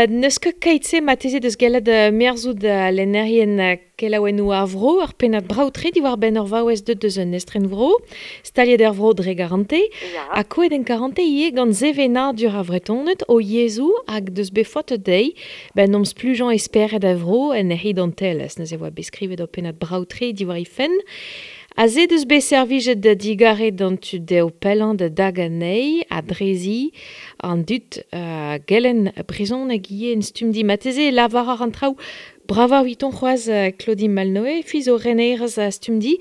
N'eus ket keit-se marteze deus gellet merzout lennerien kelaouennoù ar vro, ur pennad brav-tre diwar-benn ur vaouez deut deus un estrenvro, staliet er vro dre garante, ha kouet en karante ivez gant sevenadur ar Vretoned o yezhoù hag deus bet faotet dezhi ben omp splujañ e spered a vro en he identelezh. Neuze e oa bet skrivet ur pennad brav-tre diwar he fenn. Aze deus bet servijet da digarez d'an tud dezho pellañ da dagañ anezhi ha drezi an dud a gelenn brezhoneg ivez en stumm-di. Marteze e lavarar an traoù bravañ eviton c'hoazh Claudine Malnoë, fi zo renerez a stumm-di.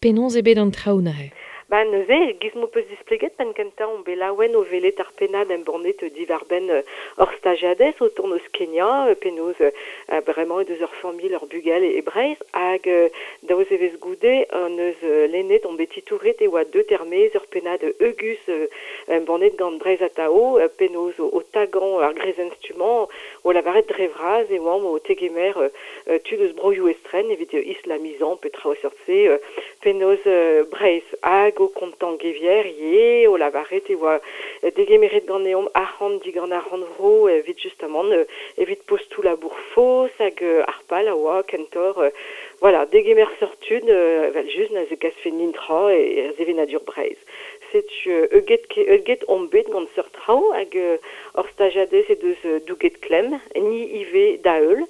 Penaos eo bet an traoù neuze? Ba neuze, e-giz m'ho peus displeget penn-kentañ on bet laouen o welet ar pennad embannet diwar-benn hor stajiadez o tont eus Kenya, penaos bremañ he deus ur familh, ur bugel e Breizh, hag daou zevezh goude hon eus lennet, on bet titouret e oa deut er-maez ur pennad heugus embannet gant Breizh Atao, penaos o tagañ ar greizenn-stummañ, o lavaret dre vras e oamp o tegemer tud eus broioù estren evit islamizañ pe traoù a seurt-se, penaos Breizh hag o kontañ gevier ivez, o lavaret e oa degemeret ganeomp arc'hant digant ar rannvro evit justamant evit postoù labour faos hag ar pal a oa kentoc'h voilà, degemer seurt tud evel-just na zegasfe nintra e sevenadur Breizh. Setu heuget omp bet gant seurt traoù hag hor stajiadez he deus douget klemm, ni ivez da-heul.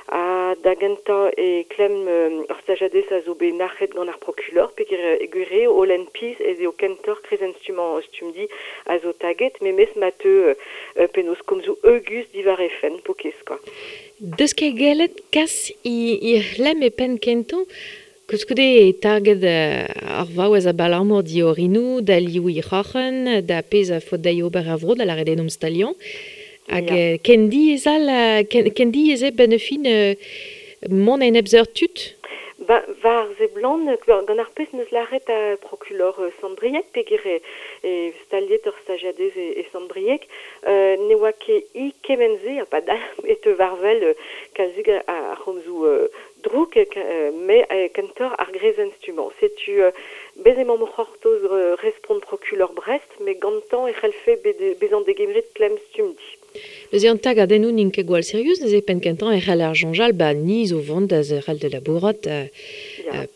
Ha da gentañ e klemm ur stajiadez a zo bet nac'het gant ar prokulor peogwir eo o lenn pizh ez eo kentoc'h krezenn-stummañ Stumdi a zo taget memes ma teu penaos komzoù heugus diwar he fenn pokez kwa. Deus ket gellet kas he c'hlemm e penn kentañ? Koulskoude e taget ar vaouez abalamour d'he orinoù, da liv he c'hroc'hen, da pezh a faot dezhi ober er vro, da lâret eo omp staliañ. Hag ken diaes all, ken diaes eo benn ar fin mont enep seurt tud? Ba, war seblant, gant ar pezh 'neus lâret ar prokulor Sant-Brieg, peogwir e staliet ur stajiadez e Sant-Brieg, ne oa ket hi kement-se ha padal e teu war-wel kalzik ar c'homzoù drouk, met kentoc'h ar greizenn-stummañ. Setu bez emaomp o c'hortoz respont prokulor Brest, met gantañ e c'hellfe bezañ degemeret klemm Stumdi. Neuze an tagadennoù n'int ket gwall sirius, neuze penn-kentañ e c'haller soñjal ba ni zo vont da zerc'hel da labourat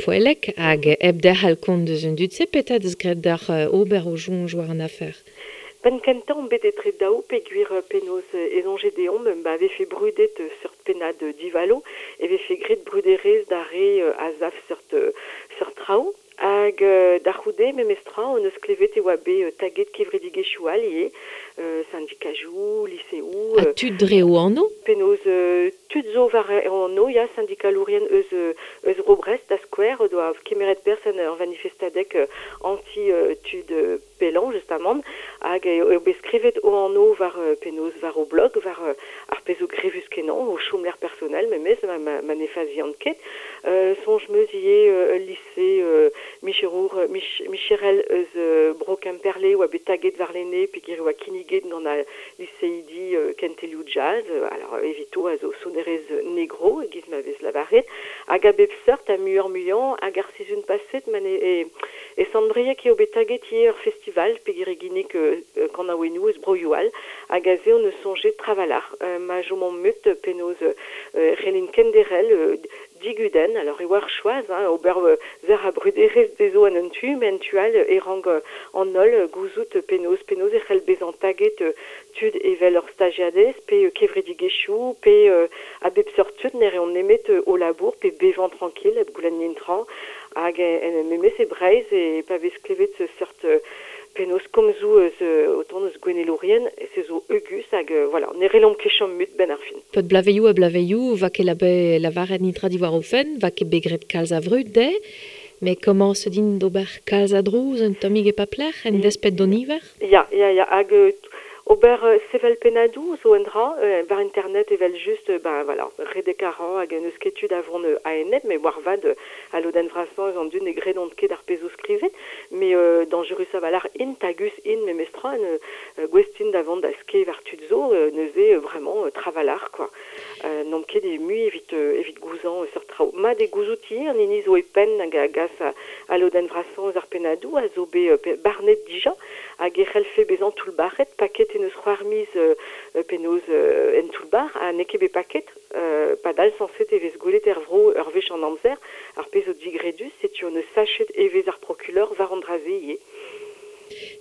poellek hag hep derc'hel kont deus an dud-se, petra 'deus graet deoc'h ober ho soñj war an afer? Penn-kentañ omp bet etre daou peogwir penaos e soñje deomp ma vefe brudet seurt pennad divalo e vefe graet bruderezh d'ar re a sav seurt seurt traoù. Hag da c'houde memestra hon eus klevet e oa bet taget kevredigezhioù all ivez, sindikajoù, liseoù. Ha tud dre o anv? Penaos tud zo war o anv, ya, sindikalourien eus eus Bro Brest da skouer o doa kemeret perzh en ur vanifestadeg anti tud pellañ justamant hag eo bet skrivet o anv war penaos war o blog, war ar pezh zo grevus-kenañ, o chomlec'h personel memes ma ma ne fazian ket. Soñj 'm eus ivez ul lise micherour micherel eus Bro Kemperle oa bet taget warlene peogwir e oa kinniget gant al liseidi kentelioù jazz, alors evito a zo sonerezh negro e-giz ma vez lavaret, hag a bep seurt ha muioc'h-muiañ hag ar sizhun paset ma ne e e Sant-Brieg eo bet taget ivez ur festival peogwir e ginnig kanaouennoù eus broioù all hag aze hon eus soñjet trawalc'h ma chomomp mut penaos c'hellint kenderc'hel digudenn. Alors e oa ar choaz hein, ober zer ha bruderezh dezho en un tu, met en tu all e rank an holl gouzout penaos penaos e c'hell bezañ taget tud evel ur stajiadez pe kevredigezhioù pe a bep seurt tud ne reont nemet o labour pe bevañ trankil hep goulenn netra. Hag en memes e Breizh e pa vez klevet seurt penaos komzoù eus o tont eus gouennelourien, se zo heugus hag voilà, ne relomp ket chom mut benn ar fin. Pod blaveioù ha blaveioù, va ket lavaret nitra diwar o fenn, va ket bet graet kalz a vrud dezhe, met komañs din d'ober kalz a drouz un tammig e paplec'h en desped d'an niver? Ya, ya, ya, hag ober sevel pennadoù zo un dra, war internet evel-just, ben voilà, redek a ra hag n'eus ket tu da vont a-enep, met moarvat al lodenn vrasañ eus an dud ne gredont ket ar pezh zo skrivet, met dañjerus a-walc'h int, tagus int memestra, gouest int da vont da skeiñ war tud zo, neuze vraiment trawalc'h quoi. N'omp ket e mui evit, evit gouzañ seurt traoù. Mat e gouzouti, an hini zo e penn hag a gas a lodenn vrasañ eus ar pennadoù a zo bet barnet dija hag e c'hellfe bezañ toullbac'het, paket en eus c'hwec'h miz penaos en toull-bac'h ha n'eo ket bet paket. Padal sañset e vez gwelet er vro ur wech an amzer, ar pezh zo digredus, setu hon eus sachet evezh ar prokuleur war an dra-se ivez.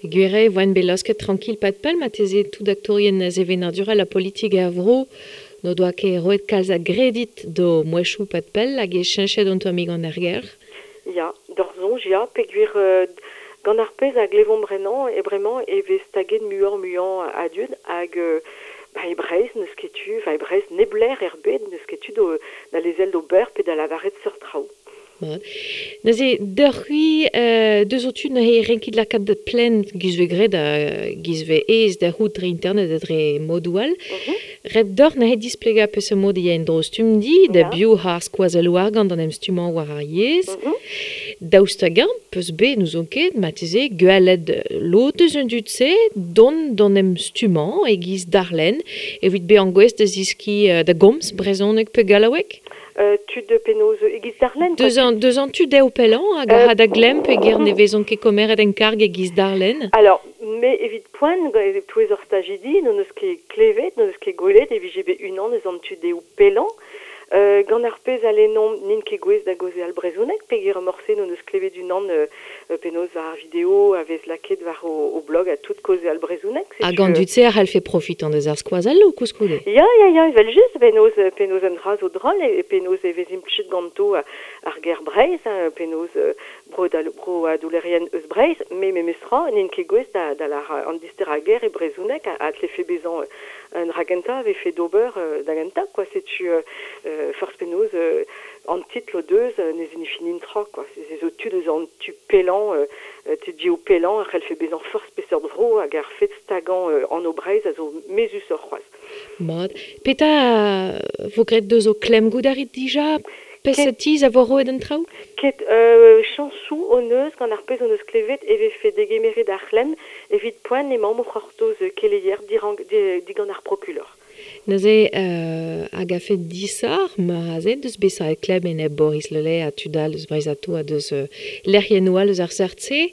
Gwir eo e voent bet laosket trankil pad pell marteze tout aktourien sevenadurel ha politik er vro n'o doa ket roet kalz a gredit d'o mouezhioù pad pell hag e cheñchet un tammig an aergelc'h. Ya, d'hor soñj ya, peogwir gant ar pezh a glevomp bremañ e bremañ e vez taget muioc'h-muiañ a dud hag ba e Breizh n'eus ket tu, enfin e Breizh neblec'h er bed n'eus ket tu da lezel d'ober pe da lavaret seurt traoù. Mat. Neuze, deoc'h-c'hwi, deus ho tud neuze renkit lakaat plaen giz 'vez graet ha giz 'vez aes da c'hoût dre internet ha dre modoù all. Ret deoc'h neuze displegañ peseurt mod e ya en-dro Stumdi, da biv ar skoazelloù argant d'an em stummañ war ar yezh. Daoust hag-eñ 'peus bet, n'ouzon ket, marteze gwelet lod eus an dud-se dont d'an em stummañ e-giz darlenn evit bezañ gouest da zeskiñ da gomz brezhoneg pe gallaoueg? Tud penaos e-giz darlenn quoi. Deus an tu dezho pellañ hag a ra da glemm peogwir ne vezont ket komeret en karg e-giz darlenn. Alors, me evit poent, e-touez hor stajidi, n'hon eus ket klevet, n'hon eus ket gwelet e vije bet unan eus an tu dezho pellañ. Gant ar pezh a lennomp n'int ket gouest da gaozeal brezhoneg peogwir morse n'hon eus klevet unan penaos war ar video a vez lakaet war o blog ha tout kaozeal brezhoneg. Hag an dud-se a c'hallfe profitañ deus ar skoazelloù koulskoude. Ya, ya, ya, evel-just, penaos, penaos un dra zo drol e penaos e vez implijet ganto ar ger Breizh, hein, penaos broadelourien eus Breizh, met memestra n'int ket gouest da, da lâr an disterañ ger e brezhoneg a tlefe bezañ un dra gentañ a vefe d'ober da gentañ, quoi. Setu forzh penaos an titl o deus ne signifie netra, quoi. Se zo tud eus an tu pellañ, tud eo pellañ a c'hellfe bezañ forzh peseurt vro hag ar fed stagañ anv Breizh a zo mezhusoc'h c'hoazh. Mat. Petra vo graet deus ho klemm goût a rit dija? Peseurt tizh a vo roet an traoù? Ket chañsoù hon eus gant ar pezh hon eus klevet e vefe degemeret ar c'hlemm evit poent emaomp o c'hortoz keleier digant ar prokulor. Neuze hag a-fet disoc'h meur aze deus bezañ e klemm enep Boris Le Lay ha tud all eus Breizh Atao ha deus lec'hiennoù all eus ar seurt-se.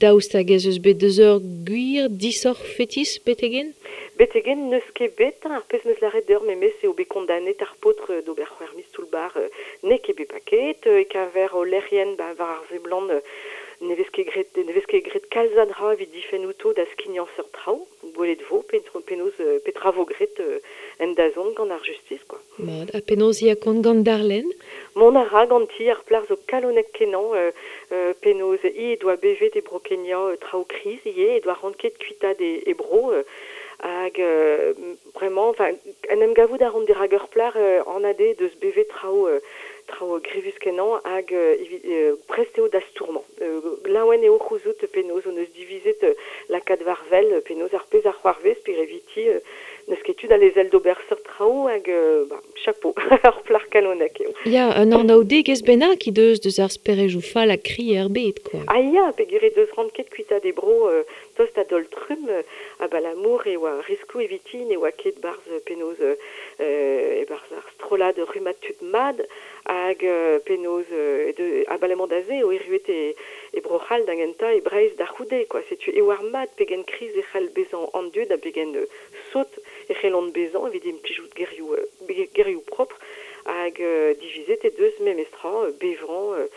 Daoust hag ez eus bet deus ur gwir disoc'h fetis betek-henn? Betek-henn n'eus ket bet, ar pezh 'm eus lâret deoc'h memes eo bet kondaonet ar paotr d'ober c'hwec'h miz toull-bac'h n'eo ket bet paket e-keñver o lec'hienn ba war ar seblant ne vez ket graet ne vez ket graet kalz a dra evit difenn outo da skignañ seurt traoù. Gwelet 'vo penaos petra 'vo graet en dazont gant ar justis quoi. Mat, ha penaos ya kont gant Darlene? Mont a ra ganti ar plac'h zo kalonek-kenañ penaos hi he doa bevet e Bro-Kenya traoù kriz ivez, he doa ranket kuitaat e bro hag bremañ enfin en em gavout a ran dirak ur plac'h anat eo deus bevet traoù traoù grevus-kenañ hag evit prest eo da stourmañ. Laouen eo c'houzout penaos hon eus divizet lakaat war wel penaos ar pezh a c'hoarvez pe eviti n'eus ket tu da lezel d'ober seurt traoù hag bah, chapeau, ur plac'h kalonek eo. Ya, un anaoudegezh bennak he deus deus ar sperejoù fall ha kri er bed, quoi. Ah ya, peogwir he deus ranket kuitaat he bro tost a-daol-trumm abalamour e oa riskloù eviti ne oa ket 'barzh penaos e-barzh ar strollad rummad tud mat hag penaos abalamour da se eo erruet e Bro-C'hall da gentañ, e Breizh da c'houde, quoi. Setu e oar mat pegen kriz e c'hall bezañ an dud ha pegen sot e c'hellont bezañ evit implijout gerioù gerioù propr hag divizet he deus memestra bevañ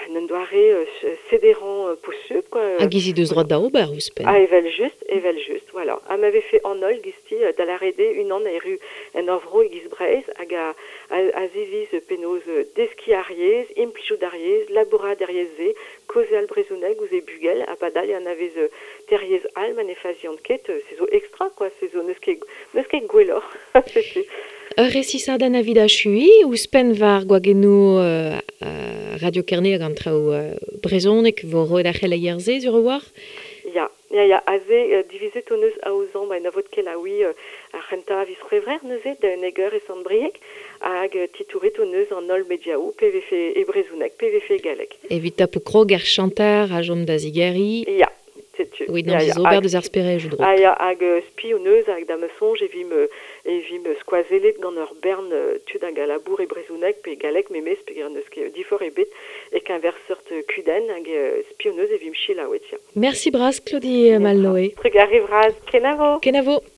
en un doare sederañ posubl quoi. Hag he deus droad da ober ouzhpenn. Ah evel-just, evel-just, voilà. Ha ma vefe an holl gisti da lâret eo unan erru en ur vro e-giz Breizh hag a a ziviz penaos deskiñ ar yezh, implijout ar yezh, labourat er yezh-se, kaozeal brezhoneg ouzh he bugel ha padal e anavez teir yezh all ma ne fazian ket, se zo extra quoi, se zo n'eus ket n'eus ket gwelloc'h, setu. Ur resisadenn evit achuiñ, ouzhpenn war gwagennoù Radio Kerne hag an traoù brezhonek 'vo roet ar c'heleier-se sur a-walc'h? Ya, ya, ya, aze divizet hon eus aozañ ba en avod kelaouiñ ar c'hentañ a viz C'hwevrer neuze da unnek eur e Sant-Brieg hag titouret hon eus an holl mediaoù pe vefe e brezhoneg pe vefe e galleg. Evit tapout krog er chanter a chom da zigeriñ. Ya, setu. Oui, non, ya, ober deus ar sperejou dro. Ha ya, hag spi o neuz hag da ma soñj e vim, e vim skoazellet gant ur bern tud hag a labour e brezhoneg pe galleg memes pe neus ket difor ebet e keñver seurt kudenn hag spi o neuz e vim selaouet, ya. Merci bras Claudie Malnoé. Trugarez vras, kenavo. Kenavo.